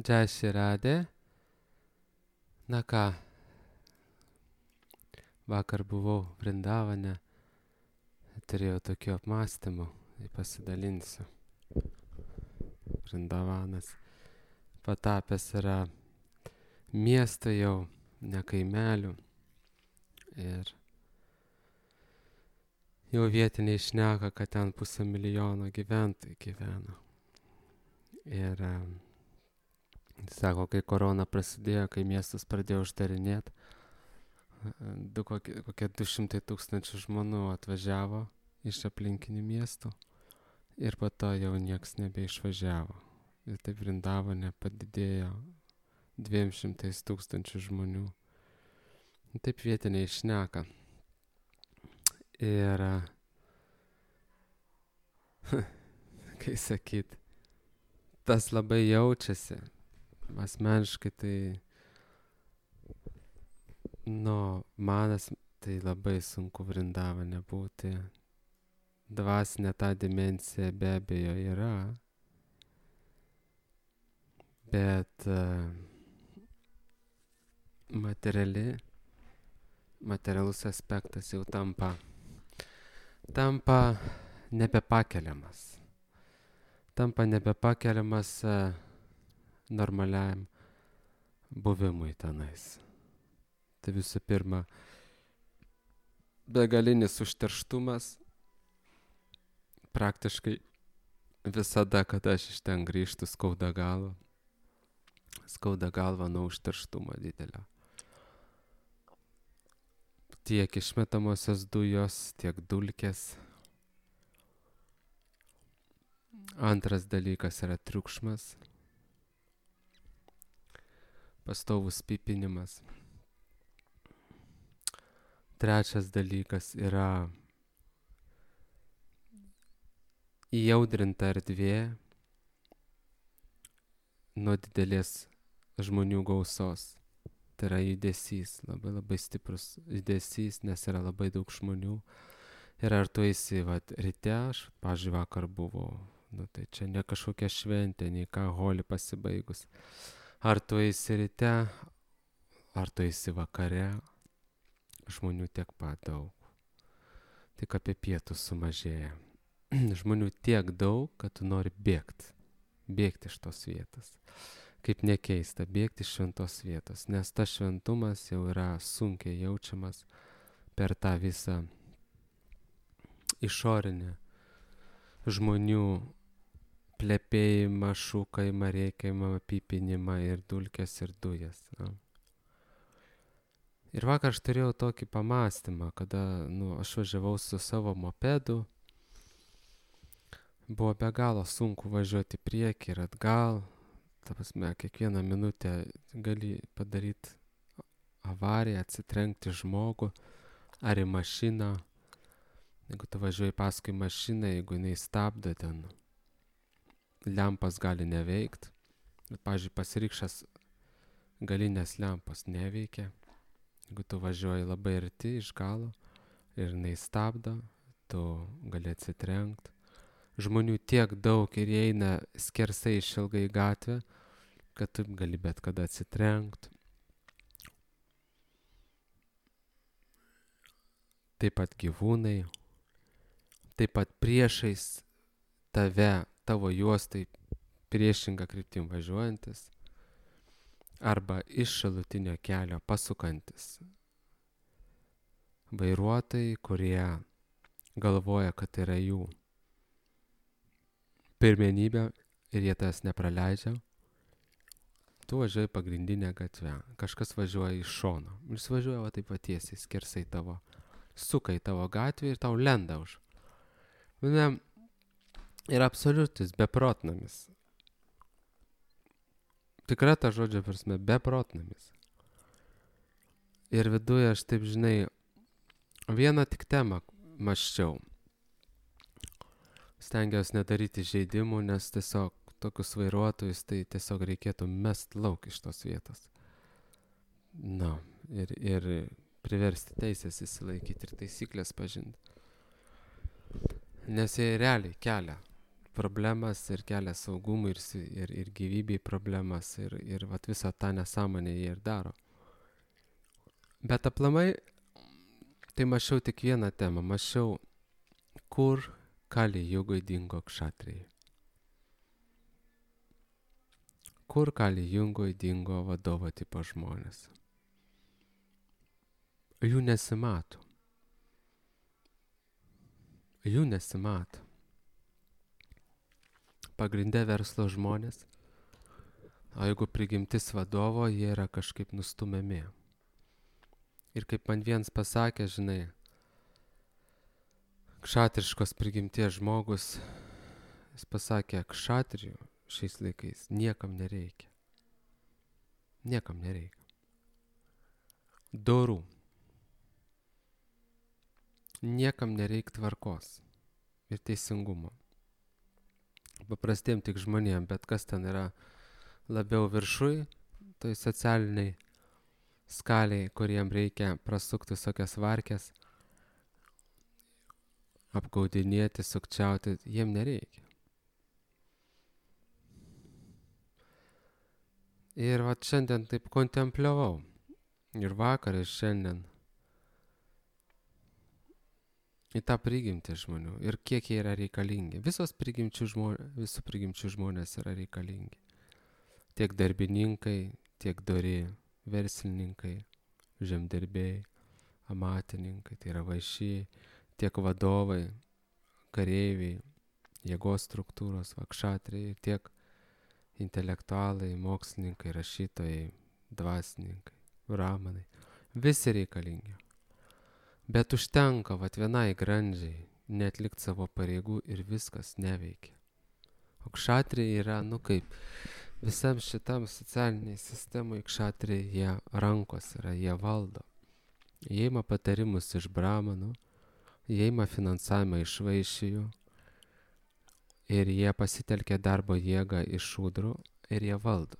Jai Shri Radhe. Na ką, vakar buvau Vrindavane, turėjau tokių apmąstymų, tai pasidalinsiu. Vrindavanas patapęs yra miesto jau, ne kaimelių. Ir jau vietiniai šneka, kad ten 500 000 gyventojų gyvena. Ir sako, kai korona prasidėjo, kai miestas pradėjo uždarinėti, kokie 200 000 žmonių atvažiavo iš aplinkinių miestų ir po to jau nieks nebeišvažiavo. Ir taip Vrindavane padidėjo 200 000 žmonių. Taip vietiniai šneka. Ir kai sakyt, tas labai jaučiasi. Asmeniškai tai, manas tai labai sunku Vrindavane būti. Dvasinė ta dimensija be abejo yra, bet materialus aspektas jau tampa nebepakeliamas. Tampa nebepakeliamas normaliam buvimui tenais. Tai visų pirma, begalinis užterštumas. Praktiškai visada, kada aš iš ten grįžtu, skauda galva. Skauda galva nuo užterštumo didelio. Tiek išmetamosios dujos, tiek dulkės. Antras dalykas yra triukšmas. Pastovus pypinimas. Trečias dalykas yra įaudrinta erdvė nuo didelės žmonių gausos. Tai yra judesys, labai stiprus judesys, nes yra labai daug žmonių. Ir ar tu eisi, ryte, aš, pavyzdžiui, vakar buvau, tai čia ne kažkokia šventė, nei ką holi pasibaigus. Ar tu eisi ryte, ar tu eisi vakare, žmonių tiek pat daug. Tik apie pietus sumažėja. Žmonių tiek daug, kad tu nori bėgti iš tos vietos. Kaip nekeista, bėgti iš šventos vietos, nes tas šventumas jau yra sunkiai jaučiamas per tą visą išorinę žmonių plepėjimą, šūkajimą, rėkimą, pypinimą ir dulkes ir dujas. Ir vakar aš turėjau tokį pamąstymą, kada aš važiavau su savo mopedu. Buvo be galo sunku važiuoti priekį ir atgal. Ta prasme, kiekvieną minutę gali padaryti avariją, atsitrenkti žmogų ar į mašiną. Jeigu tu važiuoji paskui mašiną, jeigu jinai stabdo ten, lempas gali neveikt. Pavyzdžiui, pasirikšęs galinės lempos neveikia. Jeigu tu važiuoji labai arti iš galo ir jinai stabdo, tu gali atsitrenkt. Žmonių tiek daug ir jie eina skersai išilgai gatvę, kad tu gali bet kada atsitrenkt. Taip pat gyvūnai, taip pat priešais tave, tavo juostai priešinga kryptim važiuojantis arba iš šalutinio kelio pasukantis vairuotojai, kurie galvoja, kad tai yra jų pirmenybė ir jie tas nepraleidžia. Tu važiuoji pagrindinę gatvę, kažkas važiuoja iš šono. Jis važiuoja taip tiesiai, skersai tavo, suka į tavo gatvę ir tau lenda už. Ir absoliutis beprotnamis. Tikra ta žodžio prasme, beprotnamis. Ir viduje aš taip, žinai, vieną tik temą mąsčiau. Stengiausi nedaryti žaidimų, nes tiesiog tokius vairuotojus tai tiesiog reikėtų mest lauk iš tos vietos. Ir priversti teisės įsilaikyti ir taisyklės pažinti. Nes jie realiai kelia problemas ir kelia saugumui ir gyvybei problemas ir vat visą tą nesąmonę jie ir daro. Bet aplamai, tai mačiau tik vieną temą, mačiau, kur Kali Jugoj dingo kšatrijai. Kur Kali Jugoj dingo vadovo tipo žmonės. Jų nesimato. Jų nesimato. Pagrinde verslo žmonės, o jeigu prigimtis vadovo, jie yra kažkaip nustumiami. Ir kaip man viens pasakė, žinai, kšatriškos prigimties žmogus, jis pasakė, kšatrijų šiais laikais niekam nereikia. Niekam nereikia. Dorų. Niekam nereikia tvarkos ir teisingumo. Paprastiem tik žmonėm, bet kas ten yra labiau viršui, tai socialiniai skaliai, kuriem reikia prasukti visokias varkės, apgaudinėti, sukčiauti, jiem nereikia. Ir vat šiandien taip kontempliavau, ir vakar, ir šiandien, į tą prigimtį žmonių ir kiek jie yra reikalingi. Visų prigimčių žmonės yra reikalingi. Tiek darbininkai, tiek dori verslininkai, žemdirbiai, amatininkai, tai yra vaišiai, tiek vadovai, kareiviai, jėgos struktūros, kšatrijai, tiek intelektualai, mokslininkai, rašytojai, dvasininkai, brahmanai. Visi reikalingi. Bet užtenka vat vienai grandžiai neatlikti savo pareigų ir viskas neveikia. O kšatrijai yra, kaip visam šitam socialiniai sistemai kšatrijai jie rankos yra, jie valdo. Jie ima patarimus iš brahmanų, jie ima finansavimą iš vaišijų ir jie pasitelkia darbo jėgą iš šūdrų ir jie valdo.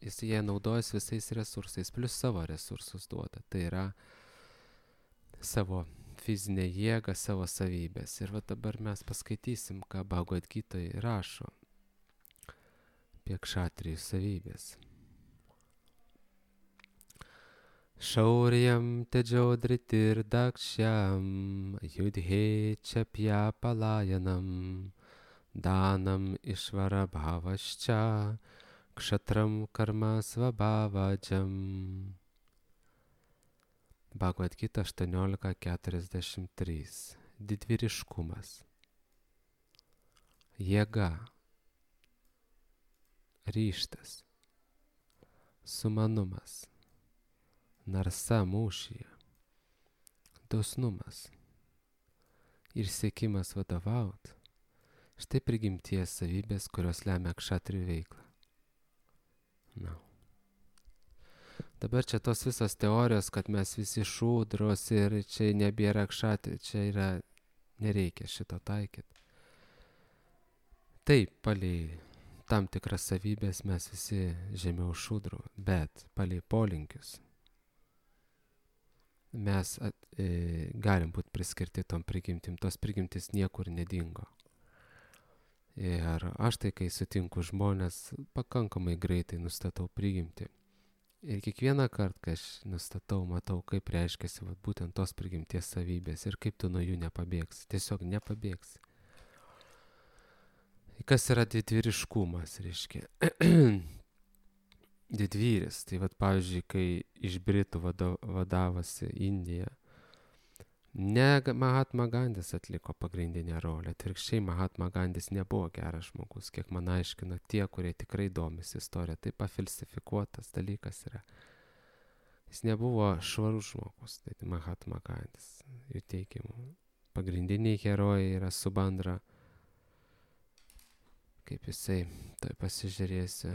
Jie naudojas visais resursais, plus savo resursus duoda. Tai yra savo fizinę jėgą, savo savybės. Ir va dabar mes paskaitysim, ką Bhagavad Gitoj rašo apie kšatrijų savybės. Šaurjam tedžodritir dakšyam judhe čapja palajanam danam išvara bhavasča kšatram karma svabhavadžam. Bhagavad Gita 18.43. Didvyriškumas. Jėga. Ryžtas. Sumanumas. Narsa mūšyje. Dosnumas. Ir siekimas vadovaut. Štai prigimties savybės, kurios lemia kšatrijų veiklą. Dabar čia tos visos teorijos, kad mes visi šūdros ir čia nebėra kšatrijų, čia yra, nereikia šito taikyti. Taip, palei tam tikras savybės mes visi žemiau šūdrų, bet palei polinkius mes galim būti priskirti tom prigimtim, tos prigimtis niekur nedingo. Ir aš tai, kai sutinku žmonės, pakankamai greitai nustatau prigimtį. Ir kiekvieną kartą, kai aš nustatau, matau, kaip reiškiasi būtent tos prigimties savybės ir kaip tu nuo jų nepabėgsi. Tiesiog nepabėgsi. Kas yra didvyriškumas, reiškia? Didvyris. Tai pavyzdžiui, kai iš Britų vadavosi Indija, ne Mahatma Gandis atliko pagrindinę rolę. Atvirkščiai, Mahatma Gandis nebuvo geras žmogus, kiek man aiškina tie, kurie tikrai domisi istoriją. Tai pafalsifikuotas dalykas yra. Jis nebuvo švarus žmogus, tai Mahatma Gandis, jų teigimu. Pagrindiniai herojai yra Subandra, kaip jisai, tai pasižiūrėsi.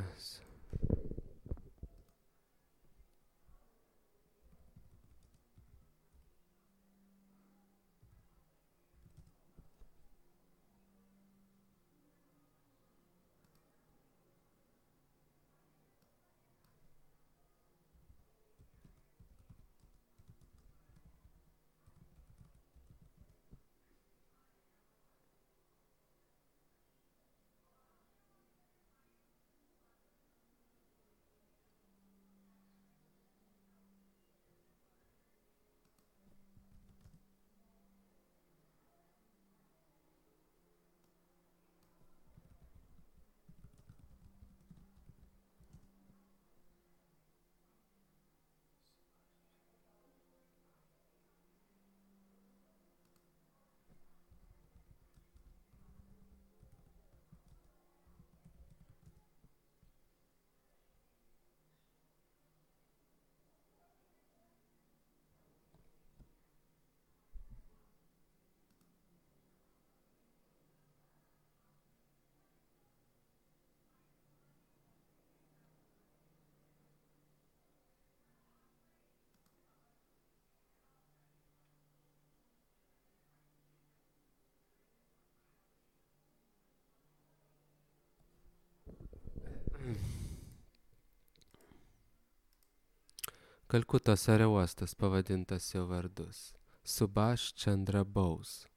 Kalkutos aerouostas pavadintas jo vardus. Subhash Chandra Bose.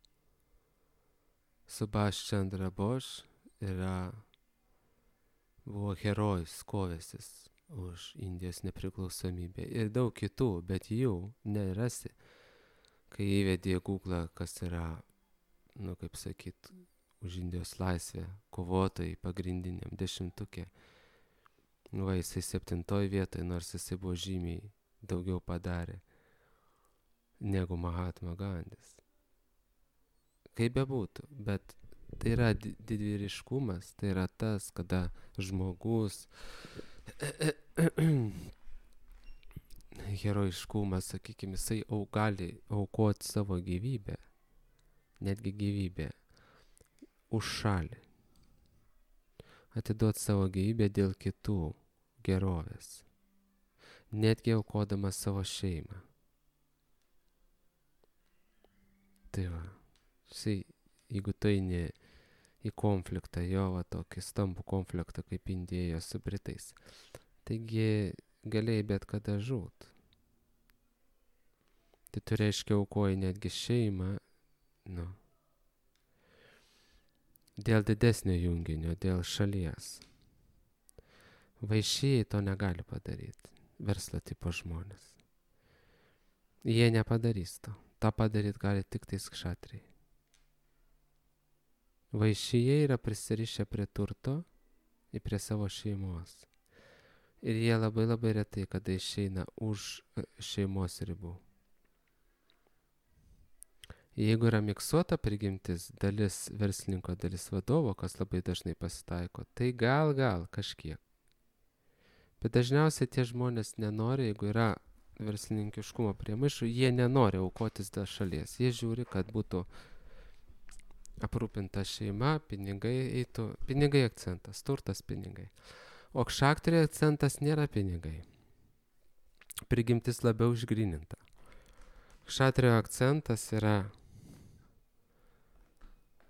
Subhash Chandra Bose buvo herojus, kovęsis už Indijos nepriklausomybę. Ir daug kitų, bet jų nerasi. Kai įvedė į Google, kas yra, kaip sakyt, už Indijos laisvę kovotojai pagrindiniam 10-uke. Jisai 7 vietoje, nors jisai buvo žymiai daugiau padarė negu Mahatma Gandis. Kaip bebūtų, bet tai yra didvyriškumas, tai yra tas, kada žmogus herojiškumas, sakykime, jisai gali aukoti savo gyvybę, netgi gyvybę, už šalį. Atiduoti savo gyvybę dėl kitų gerovės, netgi aukodamas savo šeimą. Tai va, jeigu tu eini į konfliktą, tokį stambų konfliktą kaip Indija su Britais, taigi galėjai bet kada žūt. Tai tu reiškia aukoji netgi šeimą, dėl didesnio junginio, dėl šalies. Vaišėjai to negali padaryti, verslo tipo žmonės. Jie nepadarys to. Ta padaryti gali tik tais kšatriai. Vaišėjai yra prisirišę prie turto ir prie savo šeimos. Ir jie labai labai retai, kada išeina už šeimos ribų. Jeigu yra miksuota prigimtis, dalis verslininko, dalis vadovo, kas labai dažnai pasitaiko, tai gal kažkiek. Bet dažniausiai tie žmonės nenori, jeigu yra verslininkiškumo priemaišų, jie nenori aukotis dėl šalies. Jie žiūri, kad būtų aprūpinta šeima, pinigai eitų, pinigai akcentas, turtas pinigai. O kšatriai akcentas nėra pinigai. Prigimtis labiau išgryninta. Kšatrio akcentas yra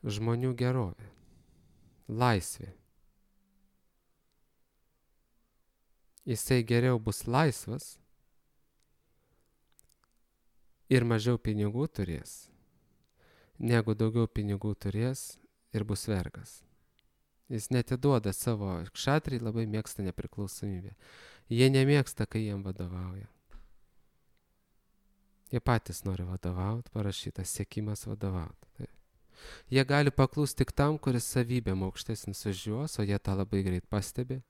žmonių gerovė, laisvė. Jisai geriau bus laisvas ir mažiau pinigų turės, negu daugiau pinigų turės ir bus vergas. Jis netiduoda savo, kšatriai labai mėgsta nepriklausomybę. Jie nemėgsta, kai jiem vadovauja. Jie patys nori vadovauti, parašytas siekimas vadovauti. Tai. Jie gali paklūsti tik tam, kuris savybėm aukštesnis už juos, o jie tą labai greit pastebi.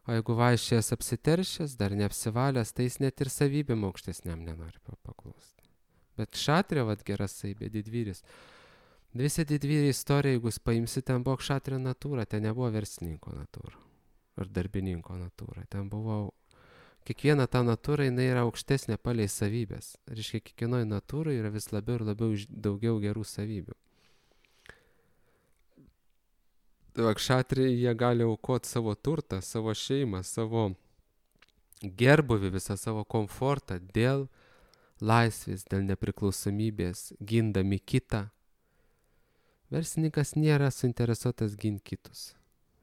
O jeigu vaikščias apsiteršęs, dar neapsivalęs, tai jis net ir savybėm aukštesniam nenori paklūsti. Bet kšatrio, gera savybė, didvyris. Visi didvyriai istorija, jeigu paimsi, ten buvo kšatrio natūra, ten nebuvo verslininko natūra ar darbininko natūra. Ten buvo, kiekviena ta natūra, jinai yra aukštesnė palei savybės. Reiškia, kiekvienoj natūrai yra vis labiau ir labiau daugiau gerų savybių. Tai kšatriai, jie gali aukoti savo turtą, savo šeimą, savo gerbuvį, visą savo komfortą dėl laisvės, dėl nepriklausomybės, gindami kitą. Verslininkas nėra suinteresuotas ginti kitus.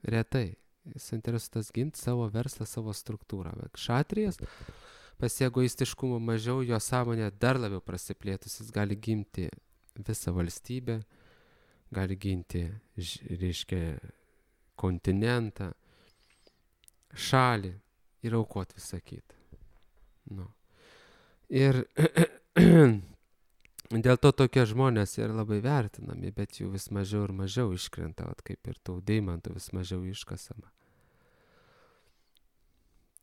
Retai. Jis suinteresuotas ginti savo verslą, savo struktūrą. Bet kšatrijas, pas egoistiškumo mažiau, jo sąmonė dar labiau prasiplėtus. Jis gali ginti visą valstybę, gali ginti, reiškia, kontinentą, šalį ir aukoti visą kitą. Ir dėl to tokie žmonės yra labai vertinami, bet jų vis mažiau ir mažiau iškrenta, kaip ir tų deimantų vis mažiau iškasama.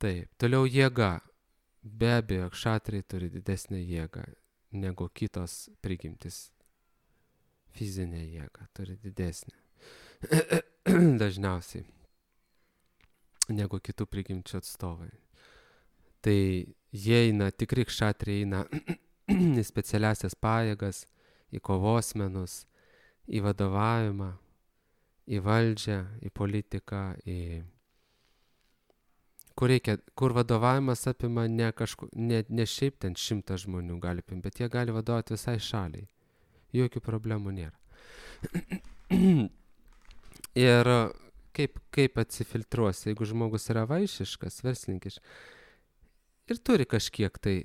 Taip, toliau jėga. Be abejo, kšatriai turi didesnę jėgą negu kitos prigimtis. Fizinė jėga turi didesnę. Dažniausiai negu kitų prigimčių atstovai. Tai jie eina, tikri kšatriai eina į specialiasias pajėgas, į kovos menus, į vadovavimą, į valdžią, į politiką, kur vadovavimas apima ne šiaip ten 100 žmonių gali apimti, bet jie gali vadovauti visai šaliai. Jokių problemų nėra. Ir kaip atsifiltruosi, jeigu žmogus yra vaišiškas, verslininkiškas, ir turi kažkiek tai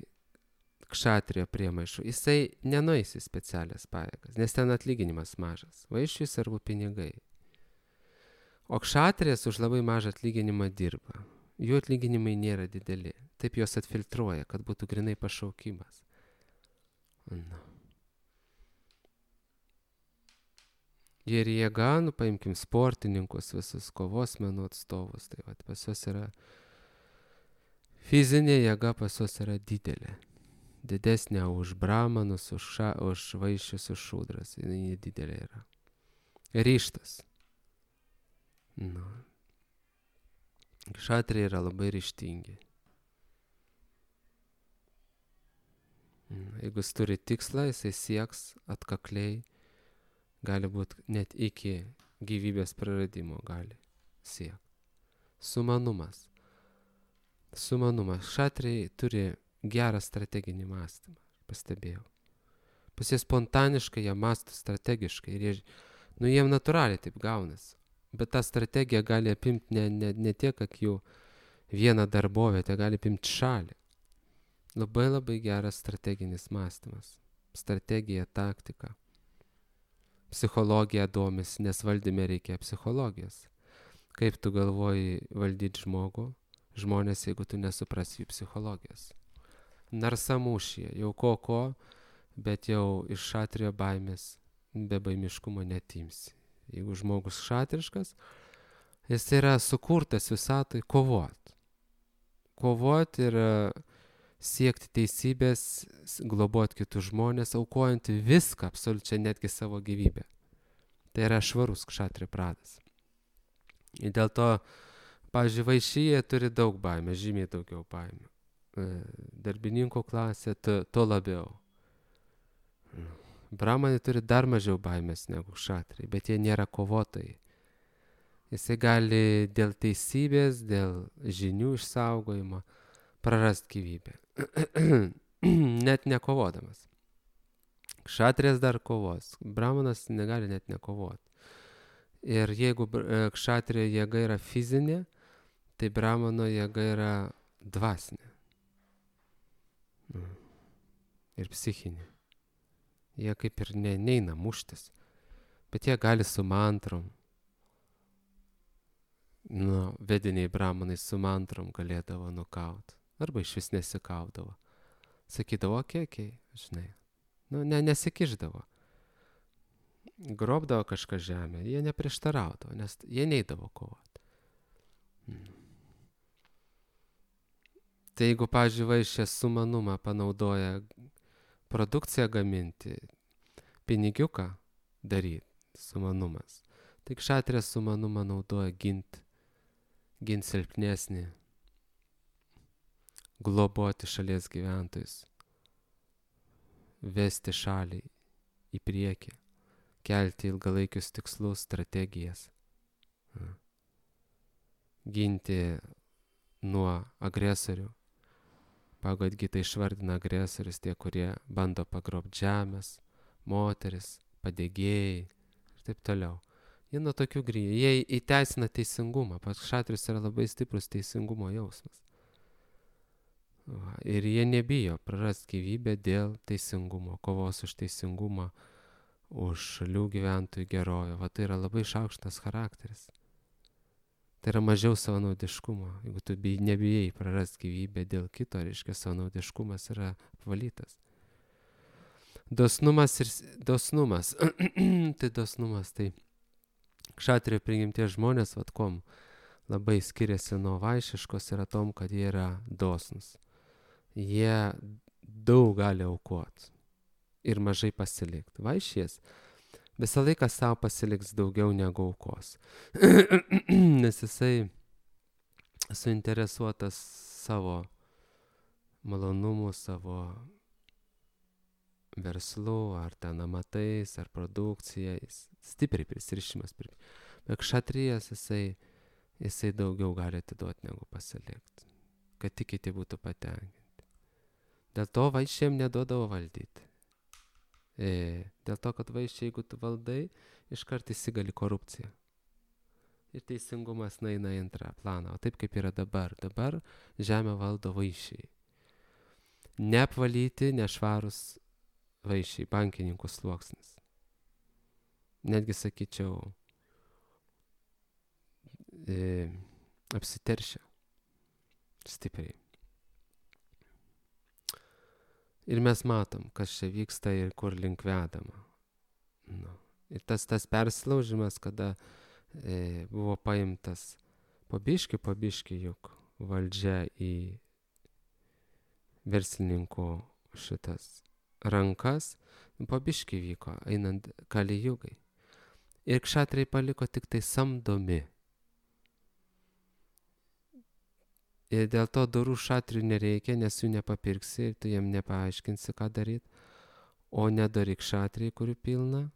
kšatrijo priemaišų. Jisai nenueis į specialias pajėgas, nes ten atlyginimas mažas. Vaišiui svarbu pinigai. O kšatrijas už labai mažą atlyginimą dirba. Jų atlyginimai nėra dideli. Taip juos atfiltruoja, kad būtų grinai pašaukimas. Na. Ir jėga, paimkim sportininkus, visus kovos menų atstovus. Tai vat, pas juos yra fizinė jėga, pas juos yra didelė. Didesnė už bramanus, už vaišius, už šūdras. Jis didelė yra. Ryštas. Nu. Kšatriai yra labai ryžtingi. Jeigu jis turi tikslą, jisai sieks atkakliai, gali būti net iki gyvybės praradimo gali siekti. Sumanumas. Kšatriai turi gerą strateginį mąstymą, pastebėjau. Pas jie spontaniškai, jie mąsto strategiškai ir jiem natūraliai taip gaunasi. Bet ta strategija gali apimti ne tiek, kad jų vieną darbovietę, gali apimti šalį. Labai labai geras strateginis mąstymas. Strategija, taktika. Psichologija domisi, nes valdyme reikia psichologijos. Kaip tu galvoji valdyti žmonės, jeigu tu nesuprasi jų psichologijos. Narsa mūšyje, jau ko, bet jau iš kšatrijo baimės, be baimiškumo netimsi. Jeigu žmogus kšatriškas, jis yra sukurtas visatoj kovot. Kovot ir siekti teisybės, globot kitus žmonės, aukojant viską, absoliučiai netgi savo gyvybę. Tai yra švarus kšatrijo pradas. Ir dėl to, pavyzdžiui, vaišyje turi daug baimės, žymiai daugiau baimės. Darbininkų klasė to labiau. Bramanai turi dar mažiau baimės negu kšatriai, bet jie nėra kovotojai. Jisai gali dėl teisybės, dėl žinių išsaugojimo prarasti gyvybę. Net nekovodamas. Kšatrijas dar kovos. Bramanas negali net nekovoti. Ir jeigu kšatrijo jėga yra fizinė, tai bramano jėga yra dvasinė. Ir psichinė. Jie kaip ir neina muštis, bet jie gali su mantrom. Vediniai bramanai su mantrom galėdavo nukaut. Arba iš vis nesikaudavo. Sakydavo, okei, žinai. Nesikišdavo. Grobdavo kažką žemę, jie neprieštaraudavo, nes jie neidavo kovoti. Tai jeigu, pavyzdžiui, vaišė sumanumą panaudoja produkciją gaminti, pinigiuką daryti, sumanumas. Tai kšatrijas sumanumą naudoja gint silpnesnį, globoti šalies gyventojus, vesti šalį į priekį, kelti ilgalaikius tikslus, strategijas, ginti nuo agresorių. Pagal Gitą išvardina agresorius tie, kurie bando pagrobti žemės, moteris, padegėjai ir taip toliau. Jie nuo tokių grįžta. Jie įteisina teisingumą. Pats kšatrijus yra labai stiprus teisingumo jausmas. Ir jie nebijo prarasti gyvybę dėl teisingumo, kovos už teisingumą, už šalių gyventojų gerovę. Tai yra labai šaukštas charakteris. Tai yra mažiau savanaudiškumo. Jeigu tu nebijai prarasti gyvybę dėl kito, reiškia savanaudiškumas yra apvalytas. Dosnumas. Tai dosnumas, tai kšatrijo prigimties žmonės, kuom labai skiriasi nuo vaišiškos, yra tom, kad jie yra dosnus. Jie daug gali aukoti ir mažai pasilikti. Vaišies visą laiką savo pasiliks daugiau negu aukos. Nes jisai suinteresuotas savo malonumu, savo verslu, ar ten amatais, ar produkcija, stipriai prisirišimas. Bet kšatrijas jisai daugiau gali atiduoti negu pasilikti, kad tik kiti būtų patenkinti. Dėl to vaišėm neduodavo valdyti. Dėl to, kad vaiščiai, jeigu tu valdai, iškart įsigali korupciją. Ir teisingumas nueina į antrą planą. O taip kaip yra dabar. Dabar žemę valdo vaiščiai. neapvalyti, nešvarus vaišiai, bankininkų sluoksnis. Netgi sakyčiau, apsiteršia stipriai. Ir mes matom, kas čia vyksta ir kur link vedama. Nu. Ir tas persilaužimas, kada buvo paimtas po biškį juk valdžia į verslininkų šitas rankas, po biškį vyko, einant Kalijugai. Ir kšatriai paliko tik tai samdomi. Ir dėl to dorų šatrių nereikia, nes jų nepapirksi ir tu jiem nepaaiškinsi, ką daryti. O nedori kšatriai, kurių pilna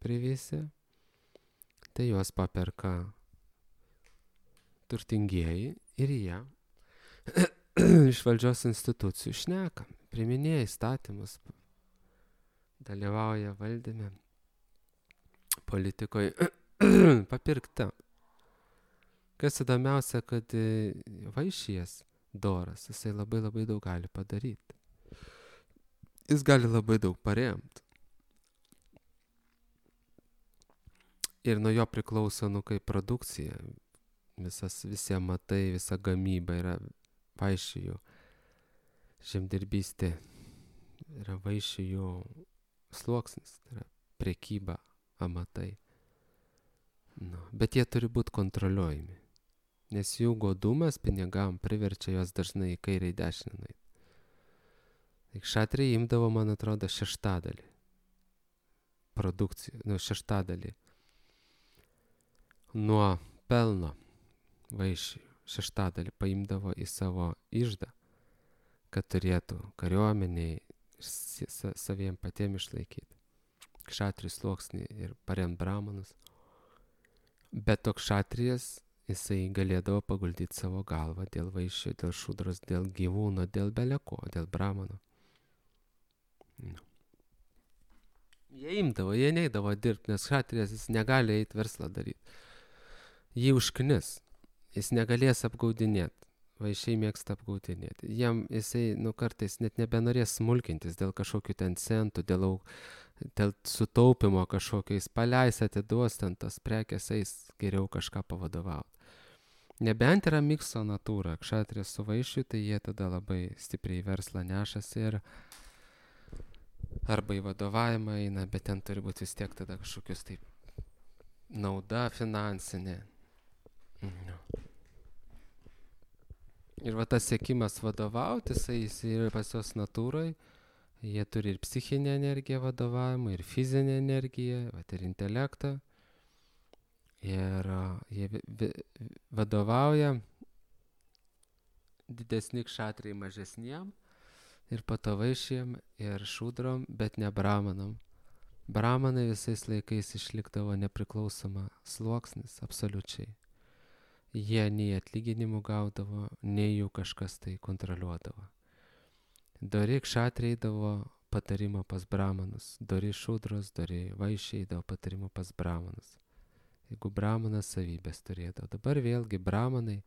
privysė, tai juos paperka turtingieji ir jie iš valdžios institucijų šneka, priminėja įstatymus, dalyvauja valdyme, politikoje, papirkta. Kas įdomiausia, kad vaišijas doras, jisai labai daug gali padaryti. Jis gali labai daug paremti. Ir nuo jo priklauso, kaip produkcija, visi amatai, visa gamyba yra vaišijų, žemdirbystė yra vaišijų sluoksnis, tai yra prekyba, amatai. Nu, bet jie turi būti kontroliuojami, nes jų godumas pinigam priverčia juos dažnai į kairę į dešinę nueiti. Tai kšatriai imdavo, man atrodo, šeštadalį produkcijų, šeštadalį nuo pelno vaišijų, šeštadalį paimdavo į savo iždą, kad turėtų kariuomeniai saviem patiem išlaikyti. Kšatrių sluoksnį ir paremt bramanus. Bet toks kšatrijas, jisai galėdavo paguldyti savo galvą dėl vaišio, dėl šudros, dėl gyvūno, dėl beleko, dėl bramano. No. Jie imdavo, jie neidavo dirbti, nes kšatrijas jis negali eiti verslą daryti. Jį užknis, jis negalės apgaudinėti. Vaišiai mėgsta apgaudinėti. Jam jisai, kartais net nebenorės smulkintis dėl kažkokių ten centų, dėl sutaupimo kažkokio, jis paleis, atiduos ten tas prekės, eis geriau kažką pavadovauti. Nebent yra mikso natūra, kšatrijas su vaišiu, tai jie tada labai stipriai verslą nešasi ir arba į vadovavimą eina, bet ten turi būti vis tiek tada kažkokius taip nauda finansinė. No. Ir va tas siekimas vadovauti, jis yra pas jos natūrai, jie turi ir psichinę energiją vadovavimą, ir fizinę energiją, ir intelektą. Ir jie vadovauja didesni kšatriai mažesniem, ir patavaišiem, ir šudrom, bet ne bramanam. Bramanai visais laikais išlikdavo nepriklausoma sluoksnis, absoliučiai. Jie nei atlyginimų gaudavo, nei jų kažkas tai kontroliuodavo. Dori kšatriai eidavo patarimo pas bramanus, dori šudros, dori vaišiai eidavo patarimo pas bramanus. Jeigu bramanas savybės turėdavo. Dabar vėlgi bramanai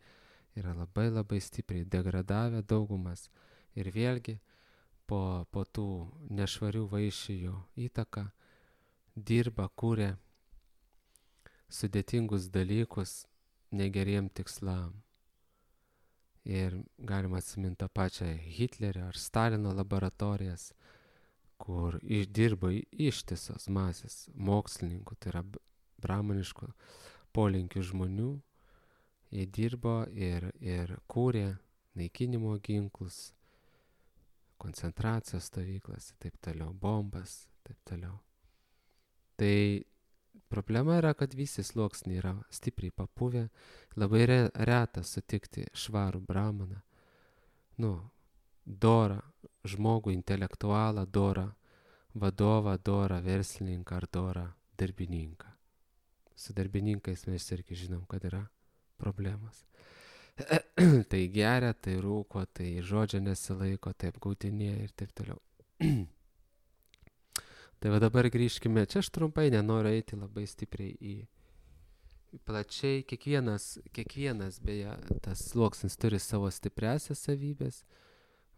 yra labai stipriai degradavę daugumas. Ir vėlgi po tų nešvarių vaišijų įtaką dirba, kūrė sudėtingus dalykus negeriem tikslam. Ir galima atsiminti tą pačią Hitlerio ar Stalino laboratorijas, kur dirbo ištisos masės mokslininkų, tai yra bramaniškų polinkių žmonių. Jie dirbo ir kūrė naikinimo ginklus, koncentracijos stovyklas, taip toliau, bombas, taip toliau. Tai problema yra, kad visi sluoksniai yra stipriai papuvę, labai reta sutikti švarų bramaną, dorą žmogų, intelektualą, dorą vadovą, dorą verslininką ar dorą darbininką. Su darbininkais mes irgi žinom, kad yra problemas. Tai geria, tai rūko, tai žodžio nesilaiko, tai apgaudinėja ir taip toliau. Tai va dabar grįžkime, čia aš trumpai nenoriu eiti labai stipriai į plačiai, kiekvienas beje, tas sluoksnis turi savo stipriasias savybės,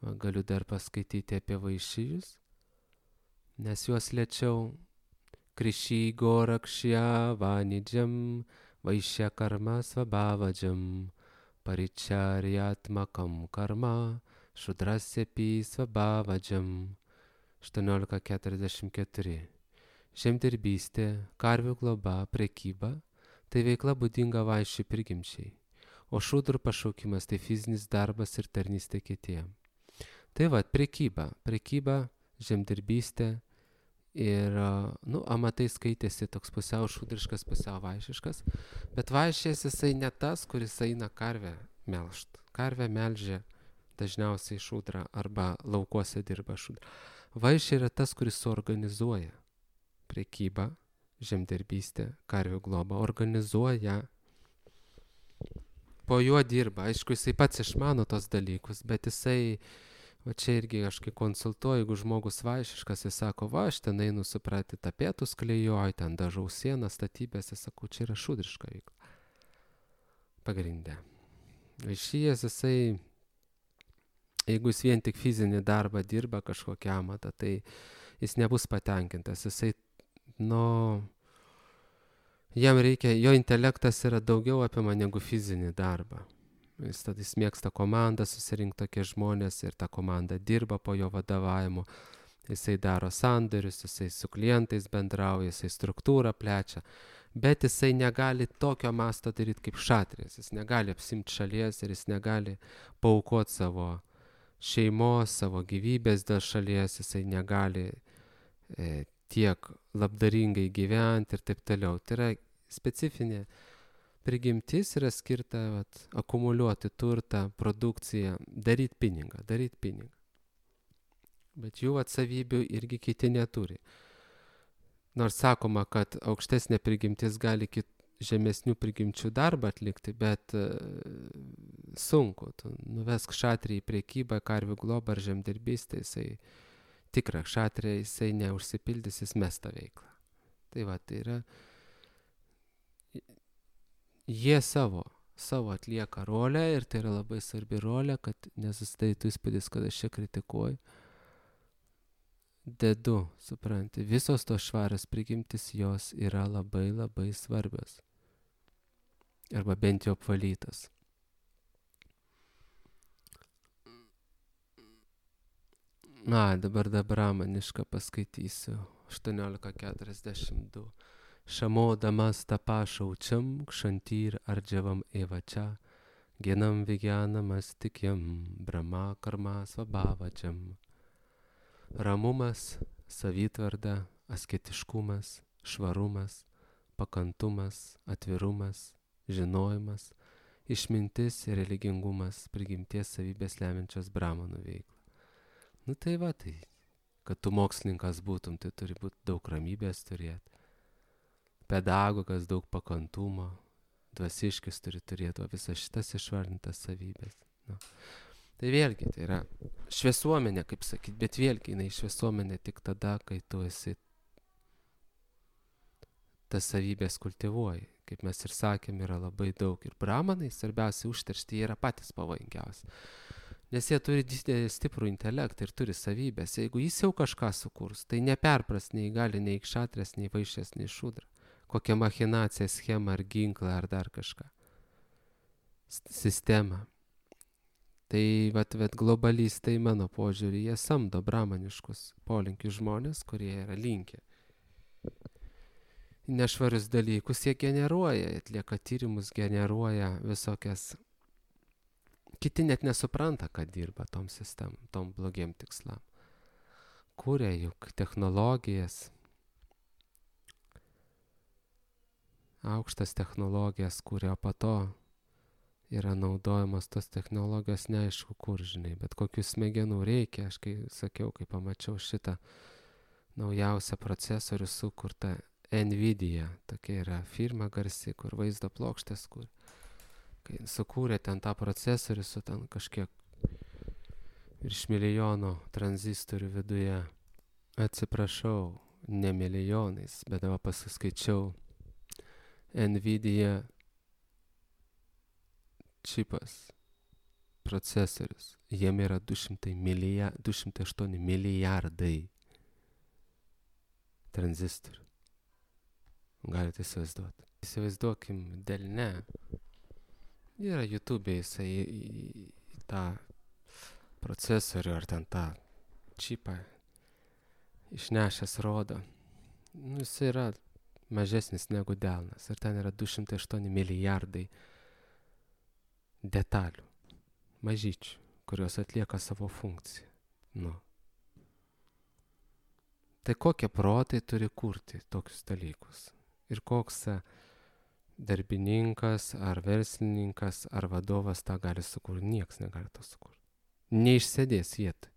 Galiu dar paskaityti apie vaišijus, nes juos lėčiau. Kriši gorakšya vanidžam, vaišya karma svabhavajam, paričaryatmakam karma, šudrasyapi svabhavajam. 18:44. Žemdirbystė, karvių globa, prekyba – tai veikla būdinga vaišių prigimčiai, o šudrų pašaukimas tai fizinis darbas ir tarnystė kitiem. Tai va, prekyba, žemdirbystė ir, amatai skaitėsi toks pusiau šudriškas, pusiau vaišiškas, bet vaišės jisai ne tas, kuris eina karvę melžt. Karvę melžia dažniausiai šudra arba laukuose dirba šudra. Vaišė yra tas, kuris suorganizuoja prekybą, žemdirbystę, karvių globą, organizuoja. Po juo dirba, aišku, jisai pats išmano tos dalykus, bet jisai, va čia irgi aš kai konsultuoju, jeigu žmogus vaišiškas, jis sako, va, aš ten einu supratyti tapetus klijuoju, ten dažau sieną, statybės, jis sako, čia yra šudriška veikla. Pagrindė. Vaišijas jisai, jeigu jis vien tik fizinį darbą dirba kažkokią amatą, tai jis nebus patenkintas. Jisai, jam reikia, jo intelektas yra daugiau apima negu fizinį darbą. Jis mėgsta komandą, susirinkti tokie žmonės ir ta komanda dirba po jo vadovavimu. Jisai daro sandorius, jisai su klientais bendrauja, jisai struktūrą plečia. Bet jisai negali tokio masto daryti kaip šatrijas. Jis negali apsimti šalies ir jis negali paaukoti savo šeimos, savo gyvybės dėl šalies. Jisai negali tiek labdaringai gyventi ir taip toliau. Tai yra specifinė prigimtis, yra skirta akumuliuoti turtą, produkciją, daryti pinigą. Bet jų savybių irgi kiti neturi. Nors sakoma, kad aukštesnė prigimtis gali žemesnių prigimčių darbą atlikti, bet sunku. Tu nuvesk šatrį į prekybą, karvių globą ar žemdirbystę, jisai tikra šatrė, jisai neužsipildys, jis mes tą veiklą. Tai va, tai yra, jie savo atlieka rolę ir tai yra labai svarbi rolė, kad nesusidarytų įspūdis, kad aš čia kritikuoju. Dedu, supranti, visos tos švarios prigimtis jos yra labai labai svarbios. Arba bent jau apvalytos. Dabar brahmanišką paskaitysiu. 18:42. Šamodamas tapą šaučiam, kšantyr ardžiavam evačia, genam vigyanam astikyam, brahma karma svabhavajam. Ramumas, savitvarda, asketiškumas, švarumas, pakantumas, atvirumas, žinojimas, išmintis ir religingumas, prigimties savybės lemiančios brahmanų veiklą. Tai va, tai, kad tu mokslininkas būtum, tai turi būti daug ramybės turėti. Pedagogas daug pakantumo, dvasiškis turi turėti visas šitas išvardintas savybės. Tai vėlgi, tai yra šviesuomenė, kaip sakyti, bet vėlgi jinai šviesuomenė tik tada, kai tu esi tas savybės kultivuoji. Kaip mes ir sakėm, yra labai daug. Ir brahmanai, svarbiausia užteršti, jie yra patys pavojingiausi. Nes jie turi stiprų intelektą ir turi savybės. Jeigu jis jau kažką sukurs, tai neperpras nei gali, nei kšatrės, nei vaišės, nei šudra. Kokią machinaciją, schemą ar ginklą ar dar kažką. Sistemą. Tai vat globalistai, mano požiūrį, jie samdo brahmaniškus polinkius žmonės, kurie yra linkę. Nešvarius dalykus jie generuoja, atlieka tyrimus, generuoja visokias. Kiti net nesupranta, kad dirba tom sistemom, tom blogiem tikslam. Kūrė juk technologijas, aukštas technologijas kūrė, o po to yra naudojamos tos technologijos neaišku kur, žinai, bet kokių smegenų reikia. Aš kai sakiau, kai pamačiau šitą naujausią procesorių sukurtą Nvidia, tokia yra firma garsi, kur vaizdo plokštės, kur kai sukūrė ten tą procesorių su ten kažkiek virš milijono tranzistorių viduje. Atsiprašau, ne milijonais, bet dabar pasiskaičiau Nvidia čipas procesorius. Jame yra 208 milijardai tranzistorių. Galite įsivaizduoti. Įsivaizduokim delne. Yra YouTube, jisai į tą procesorių ar ten tą čipą išnešęs rodo. Jis yra mažesnis negu delnas. Ir ten yra 208 milijardai detalių. Mažyčių, kurios atlieka savo funkciją. Tai kokie protai turi kurti tokius dalykus? Ir koks darbininkas, ar verslininkas, ar vadovas tą gali sukurti? Niekas negali to sukurti. Neišsėdės vietoj.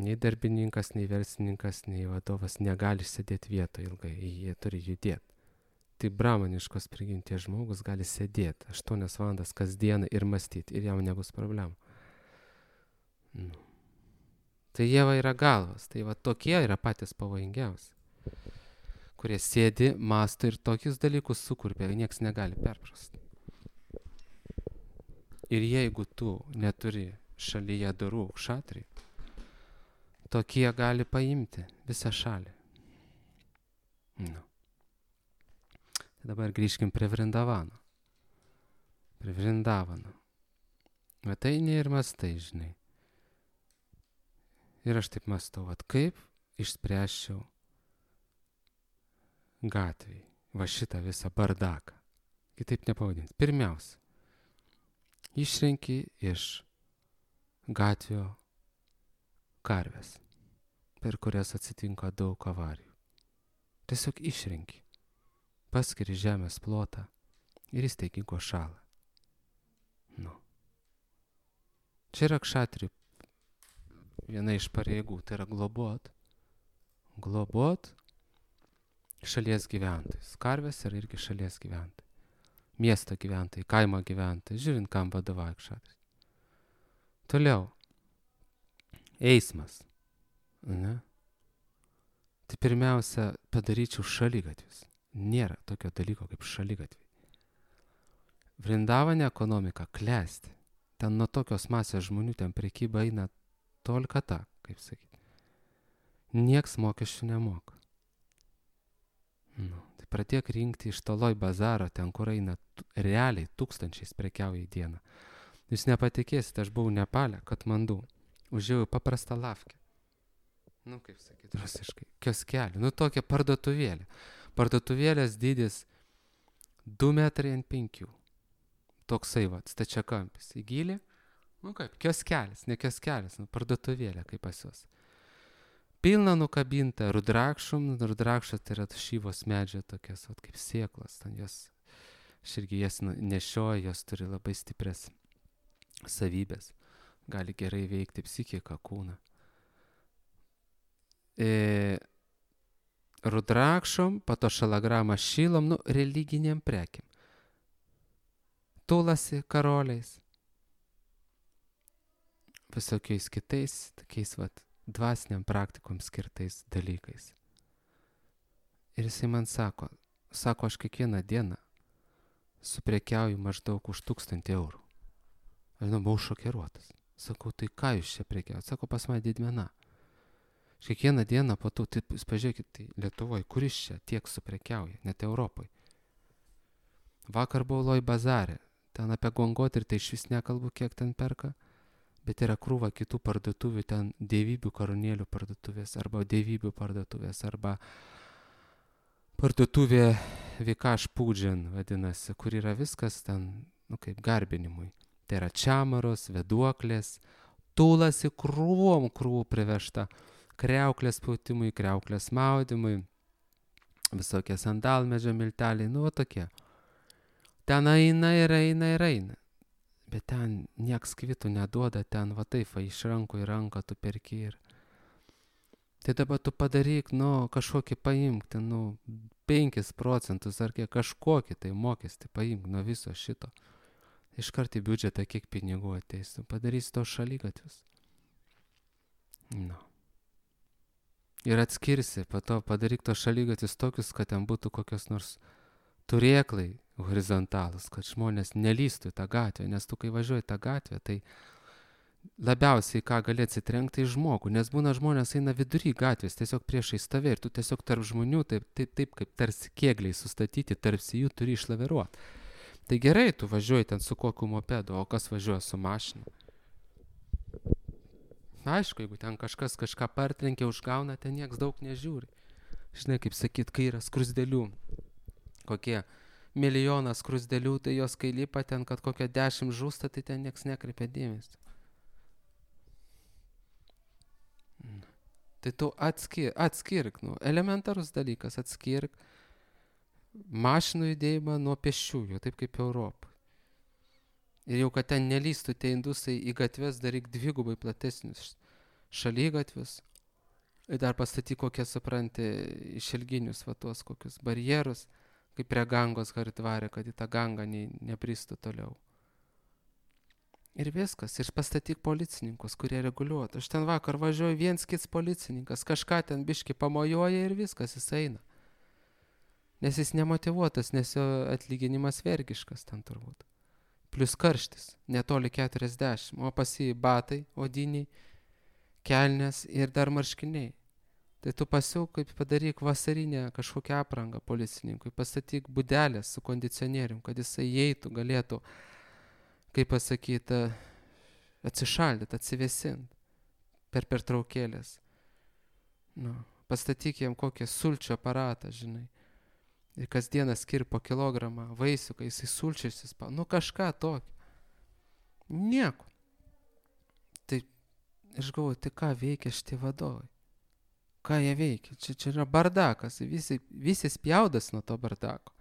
Nei darbininkas, nei verslininkas, nei vadovas negali sėdėti vietoje ilgai. Jie turi judėti. Tai bramaniškos prigimties žmogus gali sėdėti 8 valandas kasdieną ir mąstyti. Ir jam nebus problemų. Tai jie yra galvas. Tai tokie yra patys pavojingiausi. Kurie sėdi, mąsto ir tokius dalykus sukuria, nieks negali perprasti. Ir jeigu tu neturi šalyje dorų kšatrių, tokie gali paimti visą šalį. Dabar grįžkim prie Vrindavano. Prie Vrindavano. Bet tai ne ir mastai, žinai. Ir aš taip mąstau, kaip išspręsčiau gatvėj va šitą visą bardaką. Kitaip nepavadinti. Pirmiausia, išrenki iš gatvio karves, per kurias atsitinka daug avarijų. Tiesiog išrenki. Paskiri žemės plotą ir įsteigi gošalą. Čia yra kšatrių viena iš pareigų, tai yra globot šalies gyventojus. Karvės yra irgi šalies gyventojai. Miesto gyventojai, kaimo gyventojai, žiūrint, kam vadovauja kšatris. Toliau. Eismas. Tai pirmiausia, padaryčiau šaligatvius. Nėra tokio dalyko kaip šaligatviai. Vrindavane ekonomika klesti. Ten nuo tokios masės žmonių, ten prekyba eina tolkata, kaip sakyti. Nieks mokesčių nemoka. Tai pradėk rinkti iš toloj bazaro, ten kur eina realiai tūkstančiais prekiauja į dieną. Jūs nepatikėsite, aš buvau Nepale, Katmandu. Užėjau paprastą lavkę. Kaip sakyti, rusiškai, kioskelį. Tokia parduotuvėlė. Parduotuvėlės dydis 2 metrai ant 5. Toksai stačiakampis į gylį. Kaip, kioskelis, ne kioskelis, parduotuvėlė kaip pas juos. Pilna nukabinta rudrakšum. Rudrakšas tai yra šyvos medžio tokias, kaip sėklas. Aš irgi jas nešioju, jos turi labai stiprias savybės. Gali gerai veikti psichiką, kūną. Rudrakšom, pato šalagramą šilom, religiniam prekiam. Tulasi karoliais. Visokiais kitais, tokiais dvasiniam praktikom skirtais dalykais. Ir jisai man sako, aš kiekvieną dieną suprekiauju maždaug už 1000 eurų. Aš buvau šokiruotas. Sakau, tai ką jūs čia prekiaujat? Sako, pas mane didmena. Aš kiekvieną dieną po to, tai pažiūrėkit, tai Lietuvoje, kuris čia tiek suprekiauja, net Europoje. Vakar buvau Loj bazare, ten apie Gongot ir tai iš vis nekalbu, kiek ten perka, bet yra krūva kitų parduotuvių, ten dievybių karūnėlių parduotuvės, arba dievybių parduotuvės, arba parduotuvė Vikaš Pūdžian vadinasi, kur yra viskas ten, kaip garbinimui. Tai yra čiamaros, veduoklės, tulasi krūvų privežta, kriauklės pautimui, kriauklės maudimui, visokie sandalmedžio milteliai, tokie. Ten eina. Bet ten nieks kvitų neduoda, ten taip, iš rankų į ranką tu perki ir. Tai dabar tu padaryk, kažkokį paimk, ten 5 procentus ar kažkokį tai mokestį paimk nuo viso šito. Iškart į biudžetą kiek pinigų ateis, tu padarysi tos šaligatvius. Ir atskirsi, po to padaryk tos šaligatvius tokius, kad ten būtų kokios nors turėklai, horizontalus, kad žmonės nelystų į tą gatvę, nes tu kai važiuoji tą gatvę, tai labiausiai ką gali atsitrenkti į žmogų, nes būna žmonės eina vidury gatvės, tiesiog priešais tave ir tu tiesiog tarp žmonių, taip kaip tarsi kėgliai sustatyti, tarsi jų turi išlaviruoti. Tai gerai, tu važiuoji ten su kokiu mopedu, o kas važiuoja su mašina? Aišku, jeigu ten kažkas kažką partrenkia, užgauna, ten nieks daug nežiūri. Žinai, kaip sakyt, kai yra skrusdėlių, kokie milijonas skrusdėlių, tai jos kai lipa ten, kad kokia 10 žūsta, tai ten nieks nekreipia dėmesio. Tai tu atskirk, elementarus dalykas, atskirk mašinų judėjimą nuo pėsčiųjų, taip kaip Europą. Ir jau, kad ten nelystų tie indusai į gatves, daryk dvigubai platesnius šalygatvius. Ir dar pastatyk kokie, supranti, išilginius, va tuos kokius barjerus, kaip prie Gangos Haridvare, kad į tą Gangą nepristų toliau. Ir viskas, ir pastatyk policininkus, kurie reguliuotų. Aš ten vakar važiuoju, viens kits policininkas, kažką ten biški pamojuoja ir viskas, jis eina. Nes jis nemotyvuotas, nes jo atlyginimas vergiškas ten turbūt. Plius karštis, netoli 40, o pas jį batai, odiniai, kelnės ir dar marškiniai. Tai tu pasiūk, kaip padaryk vasarinę kažkokią aprangą policininkui, pastatyk budelės su kondicionierium, kad jisai įeitų, galėtų, kaip pasakyti, atsišaldyti, atsivėsinti per pertraukėlės. Pastatyk jam kokį sulčių aparatą, žinai. Ir kasdieną skir po kilogramą vaisių, kai jisai sulčiais įspaudžia. Kažką tokio. Nieko. Tai aš galvoju, tai ką veikia šitie vadovai? Ką jie veikia? Čia yra bardakas. Visi spjaudas nuo to bardako.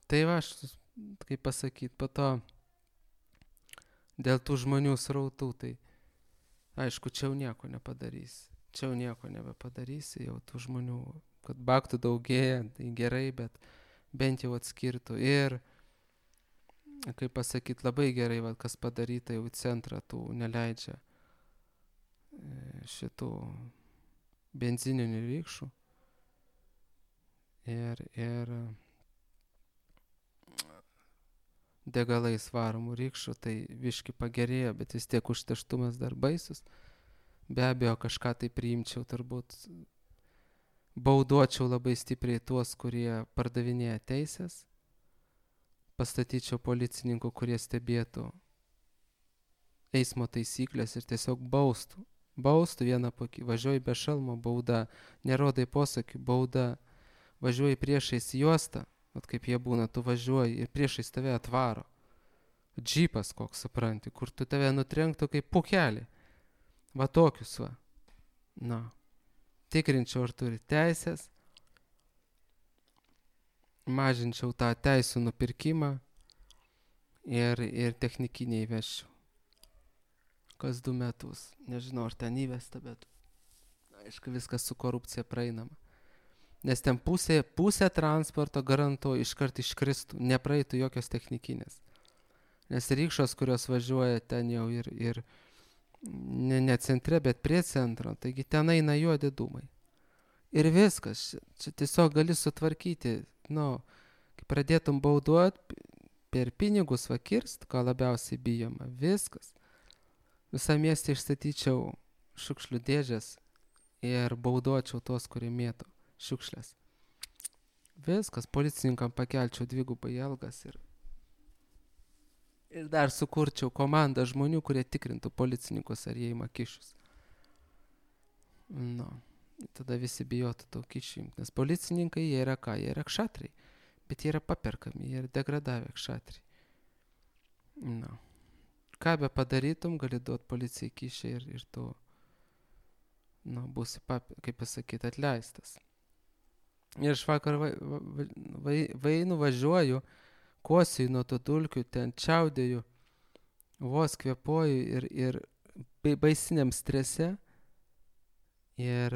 Tai va, aš, kaip pasakyti, po to dėl tų žmonių srautų, tai aišku, čia jau nieko nepadarysi. Čia jau nieko nebepadarysi, jau tų žmonių, kad baktų daugėja, tai gerai, bet bent jau atskirtų. Ir, kaip pasakyti, labai gerai, va, kas padaryta jau į centrą, tų neleidžia šitų benzininių rykščių. Ir degalais varomų rykščių, tai viški pagerėjo, bet vis tiek užterštumas dar baisus. Be abejo, kažką tai priimčiau, turbūt bauduočiau labai stipriai tuos, kurie pardavinėja teisės, pastatyčiau policininkų, kurie stebėtų eismo taisyklės ir tiesiog baustų vieną pakį, važiuoji be šalmo, bauda, nerodai posakių, bauda, važiuoji priešais juostą, vat kaip jie būna, tu važiuoji ir priešais tave atvaro, džipas koks, supranti, kur tu tave nutrenktų kaip pukelį. Va tokius va. Tikrinčiau, ar turi teisės, mažinčiau tą teisų nupirkimą ir technikinį įveščiau. Kas 2 metus. Nežinau, ar ten įvesta, bet aišku, viskas su korupcija praeinama. Nes ten pusė transporto garantuoju iškart iškristų, nepraeitų jokios technikinės. Nes rykščios, kurios važiuoja ten jau ir ne centre, bet prie centro, taigi ten eina juodi dūmai. Ir viskas, čia tiesiog gali sutvarkyti, kai pradėtum bauduoti, per pinigus vakirst, ko labiausiai bijoma, viskas. Visą miestą išstatyčiau šiukšlių dėžės ir bauduočiau tos, kurie mėto šiukšlės. Viskas, policininkam pakelčiau 2 algas ir dar sukurčiau komandą žmonių, kurie tikrintų policininkus, ar jie ima kyšius. Tada visi bijotų tų kyšių, nes policininkai jie yra ką? Jie yra kšatriai, bet jie yra paperkami, jie yra degradavę kšatriai. Ką be padarytum, gali duoti policijai kyšį ir tu būsi, kaip pasakyti, atleistas. Ir aš vakar važiuoju, kosiu nuo to dulkių, ten čiaudėju, vos kvėpuoju ir baisiniam strese. Ir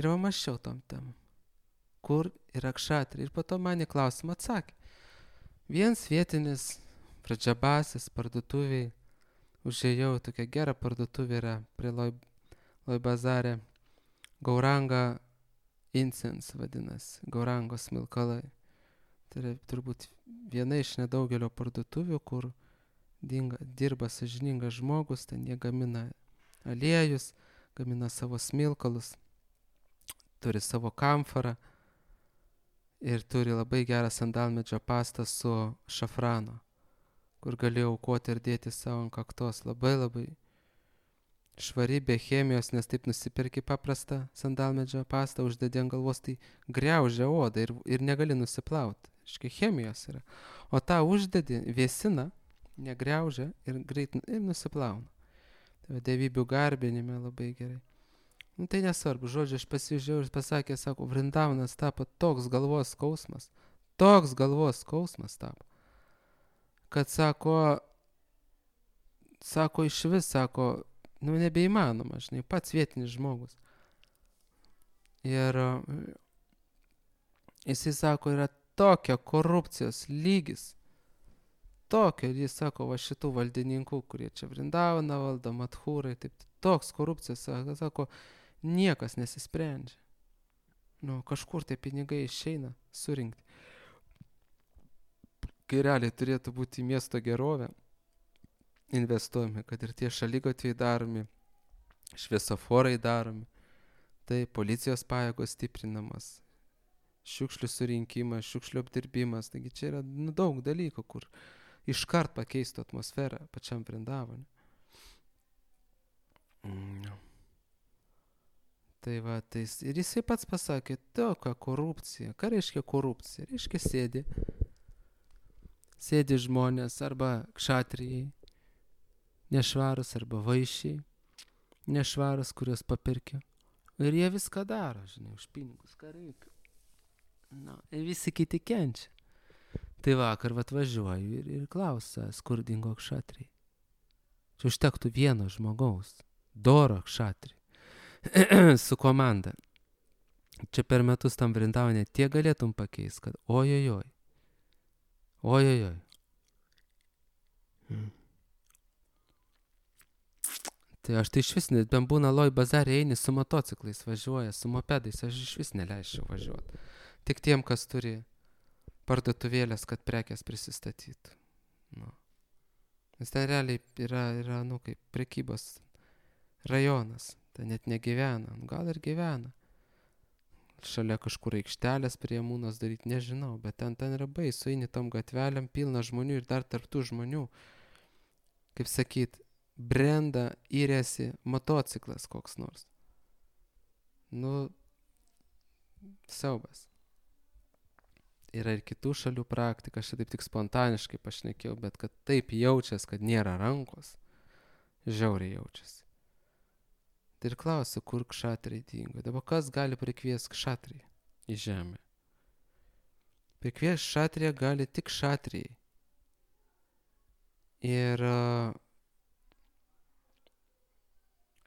mąsčiau tom temom. Kur yra kšatriai? Ir po to man į klausimą atsakė. Vienas vietinis pradžiabasis parduotuviai, užėjau, tokia gera parduotuvė yra prie Loj bazare, Gauranga incense vadinasi, Gaurango smilkalai. Tai yra turbūt viena iš nedaugelio parduotuvių, kur dirba sąžiningas žmogus, ten jie gamina aliejus, gamina savo smilkalus, turi savo kamfarą ir turi labai gerą sandalmedžio pastą su šafrano, kur gali aukoti ir dėti savo ant kaktos. Labai labai švari, be chemijos, nes taip nusiperki paprastą sandalmedžio pastą, uždedi ant galvos, tai griaužia odą ir negali nusiplauti. Iškai chemijos yra. O tą uždedi, vėsina, negriaužia ir greit ir nusiplauna. Tai dievybių garbinime labai gerai. Nu tai nesvarbu, žodžiu, aš pasižiūrėjau ir pasakė, sako, Vrindavanas tapo toks galvos skausmas tapo, kad sako, iš vis, sako, nu nebeįmanoma, žinai, pats vietinis žmogus. Ir jisai sako, yra tokia korupcijos lygis, tokio, jis sako, va šitų valdininkų, kurie čia Vrindavaną valdo, Madhūrai, taip, toks korupcijos, sako, niekas nesisprendžia. Nu, kažkur tie pinigai išeina surinkti. Kai realiai turėtų būti miesto gerovė investuojami, kad ir tie šaligatviai daromi, šviesoforai daromi, tai policijos pajėgos stiprinamas, šiukšlių surinkimas, šiukšlių apdirbimas, taigi čia yra daug dalykų, kur iškart pakeistų atmosferą pačiam Vrindavane. Tai va, ir jisai pats pasakė, tokia korupcija. Ką reiškia korupcija? Reiškia sėdi žmonės arba kšatrijai, nešvarus, arba vaišiai, nešvarus, kurios papirkė. Ir jie viską daro, žinai, už pinigus, ką reikia. Na, ir visi kiti kenčia. Tai vakar atvažiuoju ir klausia skurdingo kšatrijai. Čia užtektų vieno žmogaus, doro kšatrijai, su komanda. Čia per metus tam Vrindavane tiek galėtum pakeisti, kad ojojoj. Tai aš tai išvis, ben būna Loj bazarė eini su motociklais važiuoja, su mopedais, aš išvis neleisčiau važiuoti. Tik tiem, kas turi parduotuvėlės, kad prekės prisistatytų. Nu. Nes ten realiai yra kaip prekybos rajonas. Ten net negyvena. Gal ir gyvena. Šalia kažkur aikštelės prie Mūnos daryti, nežinau. Bet ten yra baisu, eini tom gatvelėm, pilna žmonių ir dar tarptų žmonių. Kaip sakyt, brenda įrėsi motociklas koks nors. Nu, siaubas. Yra ir kitų šalių praktika, aš taip tik spontaniškai pašnekėjau, bet kad taip jaučias, kad nėra rankos, žiauriai jaučiasi. Tai ir klausiu, kur kšatrijai dingo. Dabar kas gali prikviesti kšatriją į žemę? Prikviesti kšatriją gali tik kšatrijai. Ir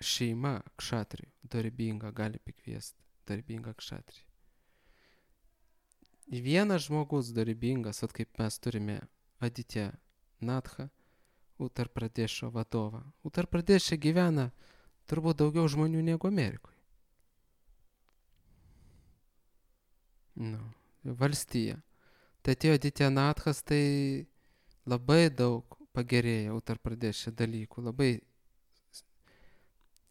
šeima kšatrijų, darbinga, gali prikviesti darbingą kšatriją. Vienas žmogus darbingas, kaip mes turime Aditya Natha, Uttar Pradešo vadovą. Uttar Pradeše gyvena turbūt daugiau žmonių negu Amerikoje. Valstija. Tai atėjo Aditya Nathas, tai labai daug pagerėjo Uttar Pradeše dalykų. Labai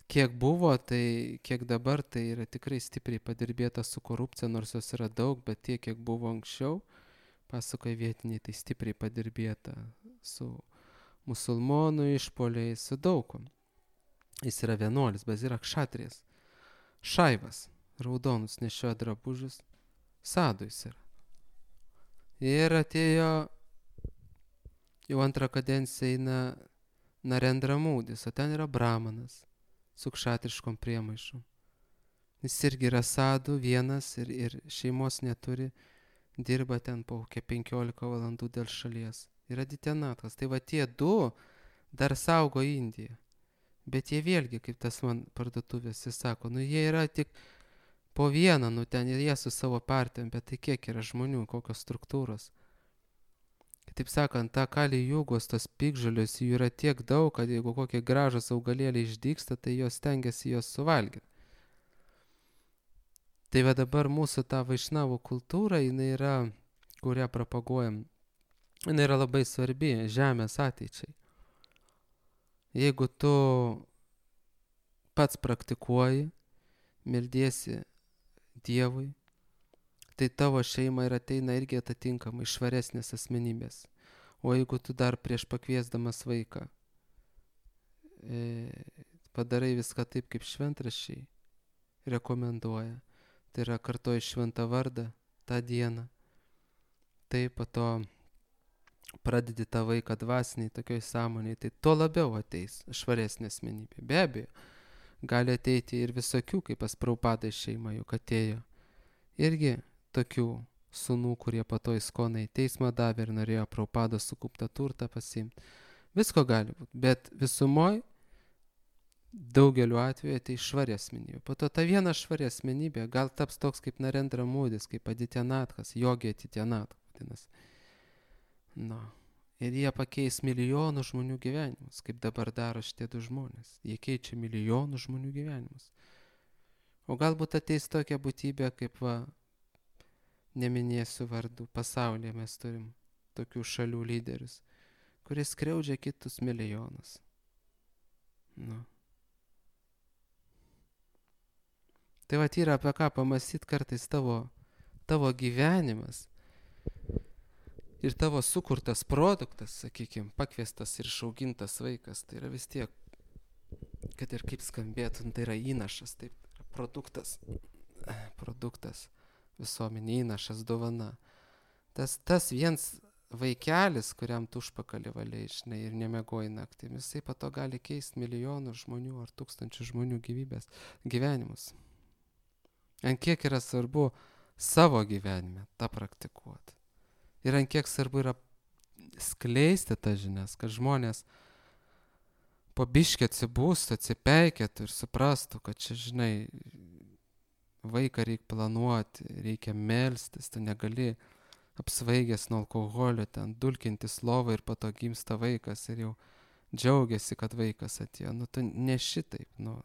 kiek buvo, tai kiek dabar, tai yra tikrai stipriai padirbėta su korupcija, nors jos yra daug, bet tiek, kiek buvo anksčiau, pasakoja vietiniai, tai stipriai padirbėta su musulmonų išpoliais, su daugom. Jis yra vienuolis, bet yra kšatrijas. Šaivas, raudonus nešioja drabužius, sadų jis yra. Ir atėjo jau antrą kadenciją eina Narendra Modis, o ten yra brahmanas su kšatriškom priemaišom. Jis irgi yra sadų vienas ir šeimos neturi, dirba ten po 15 valandų dėl šalies. Ir Aditya Nathas. Tai va tie du dar saugo Indiją. Bet jie vėlgi, kaip tas man parduotuvės, jis sako, jie yra tik po vieną, ten ir jie su savo partijom, bet tai kiek yra žmonių, kokios struktūros. Taip sakant, ta Kali Jugos, tos piktžolės, jų yra tiek daug, kad jeigu kokie gražus augalėliai išdygsta, tai jos stengiasi jos suvalgyti. Tai va dabar mūsų ta vaišnavų kultūra, jinai yra, kurią propaguojam, jinai yra labai svarbi žemės ateičiai. Jeigu tu pats praktikuoji, meldiesi Dievui, tai tavo šeima ir ateina irgi atitinkamai švaresnės asmenybės. O jeigu tu dar prieš pakviesdamas vaiką padarai viską taip, kaip šventraščiai rekomenduoja, tai yra kartoji šventą vardą tą dieną, tai po to pradedi tą vaiką dvasiniai tokioj sąmonėj, tai tuo labiau ateis švaresnė asmenybė. Be abejo, gali ateiti ir visokių, kaip pas Prabhupada šeima juk atėjo. Irgi tokių sūnų, kurie po to įskonai teismą davė ir norėjo Prabhupada sukauptą turtą pasiimti. Visko gali būti, bet visumoj daugeliu atveju tai švari asmenybė. Po to ta viena švari asmenybė gal taps toks kaip Narendra Modis, kaip Adityanatkas, Jogi Adityanatkas vadinasi. Na, ir jie pakeis milijonų žmonių gyvenimus, kaip dabar daro šitie du žmonės. Jie keičia milijonų žmonių gyvenimus. O galbūt ateis tokia būtybė, kaip neminėsiu vardų, pasaulyje mes turim tokių šalių lyderius, kurie skriaudžia kitus milijonus. Nu. Tai va yra apie ką pamąstyti kartais tavo gyvenimas ir tavo sukurtas produktas, sakykime, pakviestas ir išaugintas vaikas, tai yra vis tiek, kad ir kaip skambėtų, tai yra įnašas, taip, produktas visuomenė, įnašas, dovana. Tas viens vaikelis, kuriam tu užpakalį valiai, žinai, ir nemiegoji naktį, jisai po to gali keisti milijonų žmonių ar tūkstančių žmonių gyvenimus. Ant kiek yra svarbu savo gyvenime tą praktikuoti. Ir ant kiek svarbu yra skleisti tas žinias, kad žmonės po biškį atsibūstų, atsipeikėtų ir suprastų, kad čia, žinai, vaiką reikia planuoti, reikia melstis, tu negali apsvaigęs nuo alkoholio ten dulkintis lovą ir po to gimsta vaikas ir jau džiaugiasi, kad vaikas atėjo. Nu, tu ne šitaip, nu,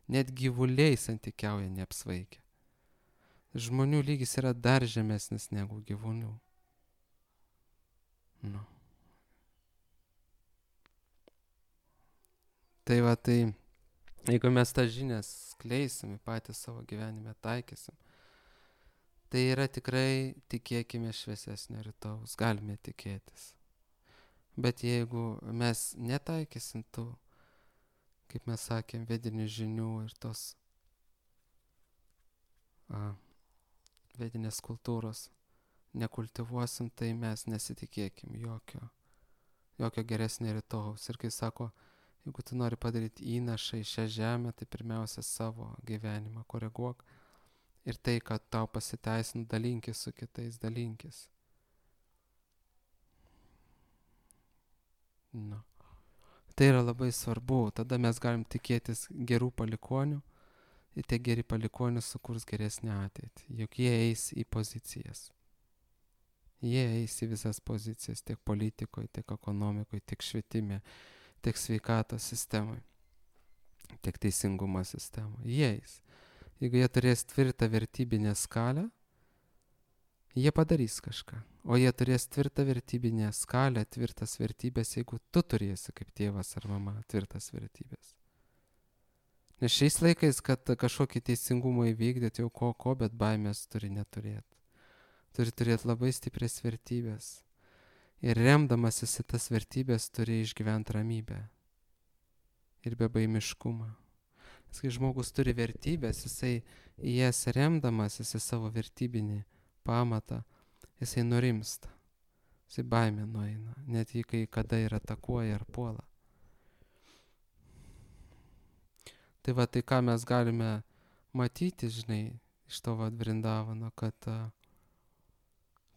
net gyvuliai santykiauja neapsvaigia. Žmonių lygis yra dar žemesnis negu gyvūnių. Nu. Tai va, tai jeigu mes tą žinias skleisim, patys savo gyvenime taikysim, tai yra tikrai, tikėkime, šviesesnio rytojaus, galime tikėtis. Bet jeigu mes netaikysim tų, kaip mes sakėm, vedinių žinių ir tos vedinės kultūros nekultivuosim, tai mes nesitikėkim jokio geresnio rytojaus. Ir kai sako, jeigu tu nori padaryti įnašą į šią žemę, tai pirmiausia savo gyvenimą koreguok. Ir tai, kad tau pasiteisinu, dalinkis su kitais, dalinkis. Nu. Tai yra labai svarbu, tada mes galim tikėtis gerų palikonių ir tie geri palikonių sukurs geresnę ateitį, juk jie eis į pozicijas. Jie eis į visas pozicijas, tiek politikoje, tiek ekonomikoje, tiek švietime, tiek sveikatos sistemoje, tiek teisingumo sistemoje. Jie eis. Jeigu jie turės tvirtą vertybinę skalę, jie padarys kažką. O jie turės tvirtą vertybinę skalę, tvirtas vertybės, jeigu tu turėsi kaip tėvas ar mama tvirtas vertybės. Nes šiais laikais, kad kažkokį teisingumą įvykdyti jau ko, bet baimės turi neturėti. Turi turėti labai stiprias vertybės. Ir remdamasis į tas vertybės turi išgyventi ramybę. Ir bebaimiškumą. Nes kai žmogus turi vertybės, jisai į jas remdamasis į savo vertybinį pamatą, jisai nurimsta. Jisai baimė nueina. Net jį kai kada ir atakuoja ar puola. Tai va, tai ką mes galime matyti, žinai, iš to Vrindavano, kad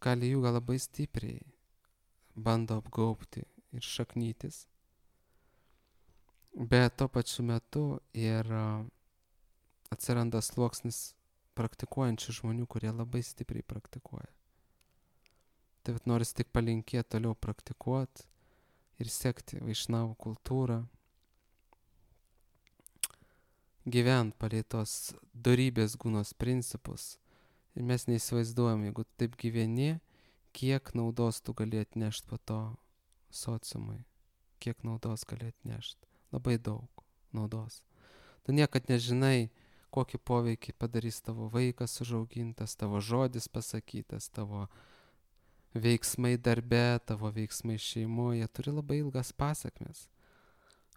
Kali Juga labai stipriai bando apgaubti ir šaknytis. Bet tuo pačiu metu ir atsiranda sluoksnis praktikuojančių žmonių, kurie labai stipriai praktikuoja. Tai vat noris tik palinkėti toliau praktikuoti ir sekti vaišnavų kultūrą, gyvent palei tos dorybės gūnos principus, Ir mes neįsivaizduojam, jeigu taip gyveni, kiek naudos tu gali atnešti po to sociumui. Kiek naudos gali atnešti. Labai daug naudos. Tu niekad nežinai, kokį poveikį padarys tavo vaikas užaugintas, tavo žodis pasakytas, tavo veiksmai darbe, tavo veiksmai šeimoje. Turi labai ilgas pasakmes.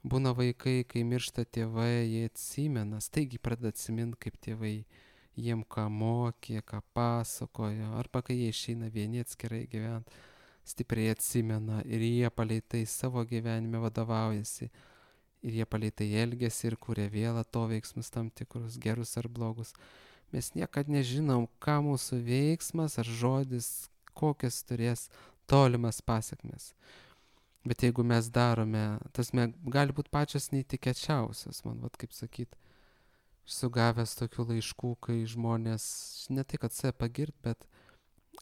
Būna vaikai, kai miršta tėvai, jie atsimena, staigiai pradeda atsiminti, kaip tėvai jiem ką mokė, ką pasakojo, arba kai jie išeina vieni atskirai gyventi, stipriai atsimena ir jie palei tai savo gyvenime vadovaujasi. Ir jie palei tai elgiasi ir kuria vėl atoveiksmus tam tikrus, gerus ar blogus. Mes niekad nežinom, ką mūsų veiksmas ar žodis, kokias turės tolimas pasakmes. Bet jeigu mes darome, tas gali būti pačios neįtikėčiausios, man, kaip sakyt, sugavęs tokių laiškų, kai žmonės, ne tai kad save pagirt, bet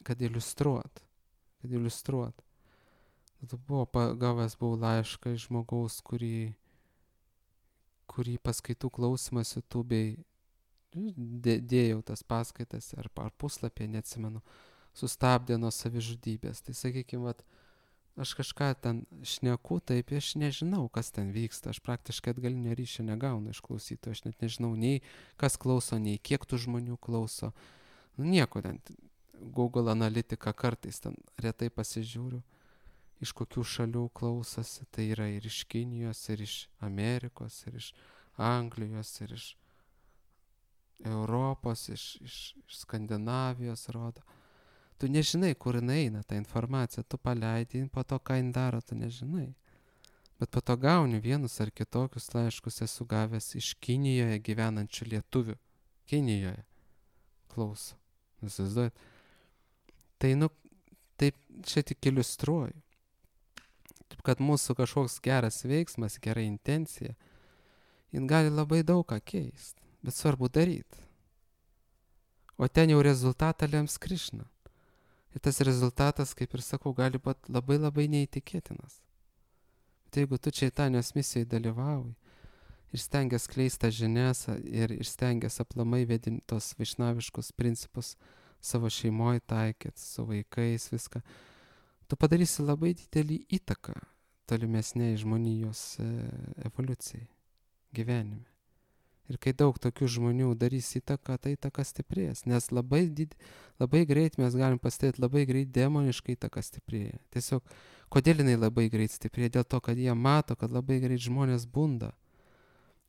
kad iliustruot. Gavęs buvau laišką iš žmogaus, kurį paskaitų klausimas YouTube'ai dėjau tas paskaitas ar puslapį, neatsimenu, sustabdė nuo savižudybės. Tai sakykime, aš kažką ten šneku, taip aš nežinau, kas ten vyksta. Aš praktiškai atgalinio ryšio negaunu iš klausytojų. Aš net nežinau nei kas klauso, nei kiek tų žmonių klauso. Nieko ten. Google analitika kartais ten retai pasižiūriu, iš kokių šalių klausosi. Tai yra ir iš Kinijos, ir iš Amerikos, ir iš Anglijos, ir iš Europos, iš Skandinavijos rodo. Tu nežinai, kur jinai eina ta informacija, tu paleidi, po to ką jin daro, tu nežinai. Bet po to gauni vienus ar kitokius laiškus, esu gavęs iš Kinijoje gyvenančių lietuvių. Kinijoje klauso. Įsivaizduojat? Tai taip čia tik iliustruoju. Taip kad mūsų kažkoks geras veiksmas, gera intencija, jin gali labai daug ką keisti, bet svarbu daryti. O ten jau rezultatą lems Krišna. Ir tas rezultatas, kaip ir sakau, gali būti labai labai neįtikėtinas. Bet jeigu tu Čaitanijos misijoje dalyvauji ir stengias skleisti žinias ir stengias aplamai vedinti tos vaišnaviškus principus savo šeimoje taikyti, su vaikais, viską, tu padarysi labai didelį įtaką tolimesniai žmonijos evoliucijai, gyvenime. Ir kai daug tokių žmonių darys įtaką, tai įtaka stiprės. Nes labai greit mes galim pastebėti, labai greit demoniškai įtaka stiprėja. Tiesiog, kodėl jinai labai greit stiprėja? Dėl to, kad jie mato, kad labai greit žmonės bunda.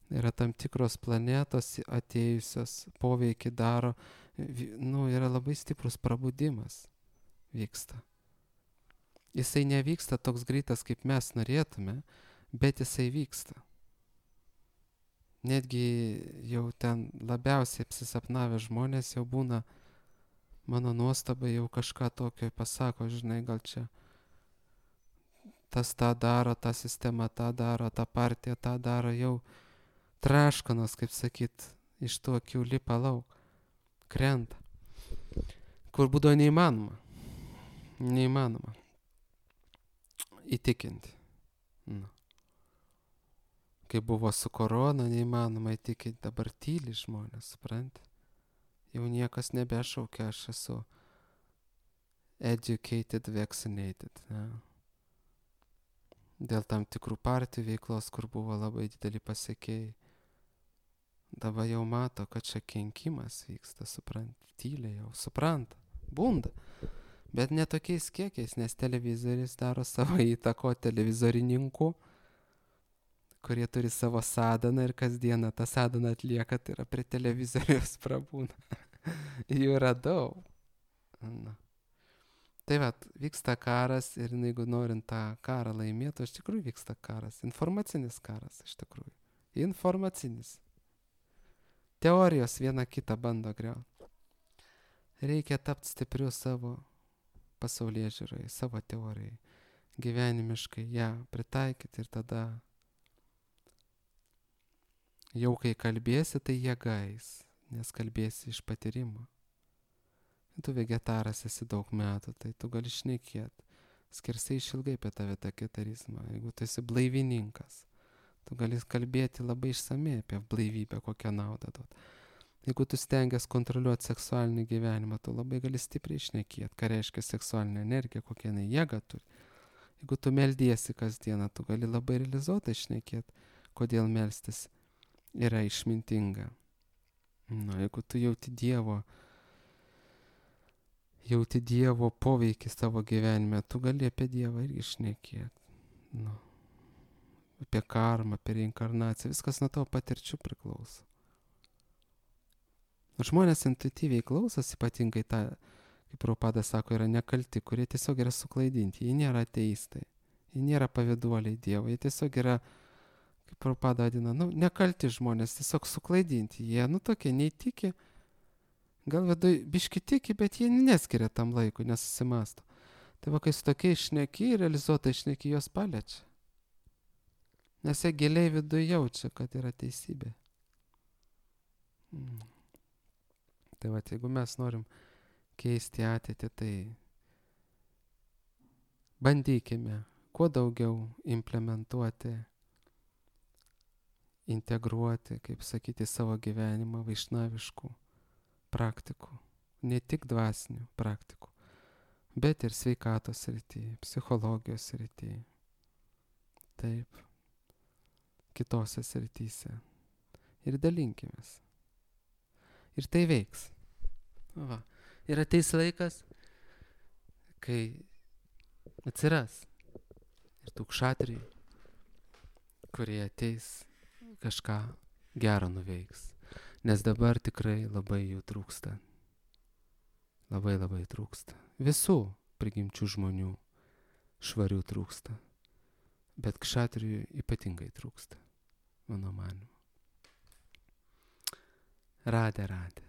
Yra tam tikros planetos atėjusios, poveikį daro, yra labai stiprus prabudimas vyksta. Jisai nevyksta toks greitas, kaip mes norėtume, bet jisai vyksta. Netgi jau ten labiausiai apsisapnavę žmonės jau būna, mano nuostabai, jau kažką tokio pasako, žinai, gal čia tas tą daro, ta sistema tą daro, ta partija tą daro, jau traškanos, kaip sakyt, iš tų akių lipa lauk, krenta. Kur būdavo neįmanoma įtikinti. Kai buvo su korona, neįmanoma įtikinti, dabar tyli žmonės, supranti? Jau niekas nebešaukia, aš esu educated, vaccinated. Ne? Dėl tam tikrų partijų veiklos, kur buvo labai dideli pasiekėjai. Dabar jau mato, kad čia kenkimas vyksta, supranti? Tyliai jau, supranta, bunda. Bet ne tokiais kiekiais, nes televizorius daro savo įtako televizorininkų, kurie turi savo sadaną ir kasdieną tą sadaną atlieka, tai yra prie televizoriaus prabūna. Jų yra daug. Tai vyksta karas ir jeigu norint tą karą laimėti, iš tikrųjų vyksta karas. Informacinis karas, iš tikrųjų. Informacinis. Teorijos viena kitą bando griauti. Reikia tapti stipriu savo pasaulėžiūrai, savo teorijai. Gyvenimiškai ją pritaikyti ir tada jau kai kalbėsi, tai jėgais, nes kalbėsi iš patyrimo. Tu vegetaras esi daug metų, tai tu gali šnekėti. Skersai išilgai apie tą vegetarizmą. Jeigu tu esi blaivininkas, tu gali kalbėti labai išsamei apie blaivybę, kokią naudą duot. Jeigu tu stengiasi kontroliuoti seksualinį gyvenimą, tu labai gali stipriai šnekėti, ką reiškia seksualinė energija, kokią jinai jėgą turi. Jeigu tu meldiesi kasdieną, tu gali labai realizuotai šnekėti, kodėl melstis yra išmintinga. Jeigu tu jauti Dievo poveikį savo gyvenime, tu gali apie Dievą irgi šnekėti. Apie karmą, apie reinkarnaciją, viskas nuo tavo patirčių priklauso. Žmonės intuityviai klausos, ypatingai tą, kaip Prabhupada sako, yra nekalti, kurie tiesiog yra suklaidinti, jie nėra ateistai, jie nėra pavyduoliai Dievo, jie tiesiog yra, kaip Prabhupada vadina, nekalti žmonės, tiesiog suklaidinti, jie, tokie neįtiki, gal vidui biški tiki, bet jie neskiria tam laikui, nesusimasto. Tai va, kai su tokiais šneki, realizuotai šneki, jos paliečia. Nes jie giliai viduje jaučia, kad yra teisybė. Tai va, jeigu mes norim keisti ateitį, tai bandykime kuo daugiau implementuoti, integruoti, kaip sakyti, savo gyvenimą vaišnaviškų praktikų. Ne tik dvasinių praktikų, bet ir sveikatos srityje, psichologijos srityje. Taip. Kitose srityse. Ir dalinkimės. Ir tai veiks. Va. Ir ateis laikas, kai atsiras ir tų kšatrijų, kurie ateis kažką gero nuveiks. Nes dabar tikrai labai jų trūksta. Labai labai trūksta. Visų prigimčių žmonių švarių trūksta. Bet kšatrijų ypatingai trūksta. Mano manymu. Radė.